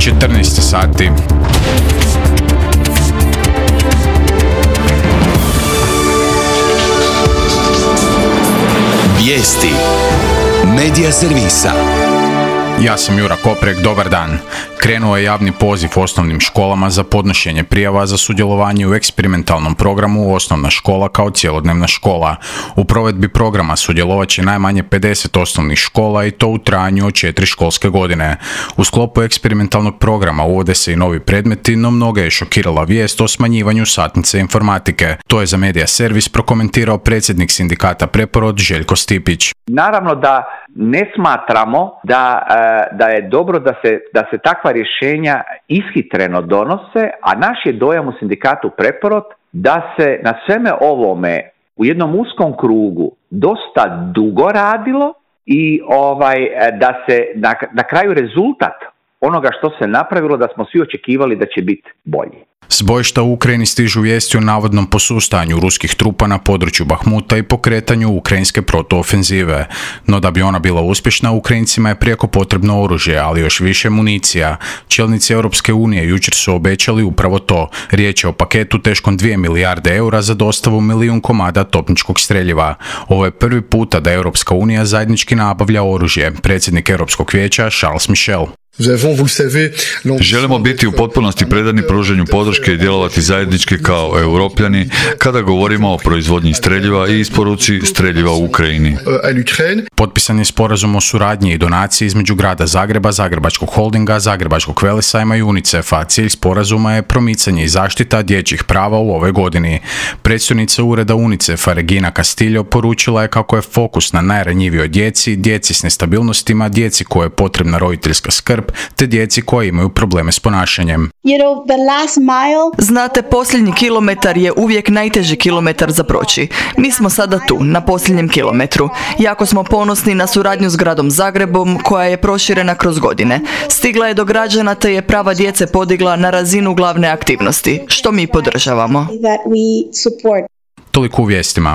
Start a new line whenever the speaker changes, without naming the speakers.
14 sati.
Vijesti Medija servisa.
Ja sam Jura Koprek, dobar dan. Krenuo je javni poziv osnovnim školama za podnošenje prijava za sudjelovanje u eksperimentalnom programu Osnovna škola kao cjelodnevna škola. U provedbi programa sudjelovat će najmanje 50 osnovnih škola i to u trajanju od 4 školske godine. U sklopu eksperimentalnog programa uvode se i novi predmeti, no mnoge je šokirala vijest o smanjivanju satnice informatike. To je za Medija servis prokomentirao predsjednik sindikata Preporod Željko Stipić.
Naravno da ne smatramo da je dobro da se takva rješenja ishitreno donose, a naš je dojam u sindikatu Preporod da se na sveme ovome u jednom uskom krugu dosta dugo radilo i da se na kraju rezultat onoga što se napravilo da smo svi očekivali da će biti bolji.
S bojišta u Ukrajini stižu vijesti o navodnom posustajanju ruskih trupa na području Bahmuta i pokretanju ukrajinske protuofenzive. No da bi ona bila uspješna, Ukrajincima je prijeko potrebno oružje, ali još više municija. Čelnici Europske unije jučer su obećali upravo to. Riječ je o paketu teškom 2 milijarde eura za dostavu 1 milijun komada topničkog streljiva. Ovo je prvi puta da Europska unija zajednički nabavlja oružje. Predsjednik Europskog vijeća Charles Michel.
Želimo biti u potpunosti predani pružanju podrške i djelovati zajednički kao europljani kada govorimo o proizvodnji streljiva i isporuci streljiva u Ukrajini.
Potpisan je sporazum o suradnji i donaciji između grada Zagreba, Zagrebačkog holdinga, Zagrebačkog velesajma i UNICEF-a. Cilj sporazuma je promicanje i zaštita dječjih prava u ovoj godini. Predstojnica ureda UNICEF-a Regina Castillo poručila je kako je fokus na najranjivijoj djeci, djeci s nestabilnostima, djeci koje je potrebna roditeljska skrb, te djeci koji imaju probleme s ponašanjem.
Znate, posljednji kilometar je uvijek najteži kilometar za proći. Mi smo sada tu, na posljednjem kilometru. Jako smo ponosni na suradnju s gradom Zagrebom, koja je proširena kroz godine. Stigla je do građana te je prava djece podigla na razinu glavne aktivnosti, što mi podržavamo.
Toliko u vijestima.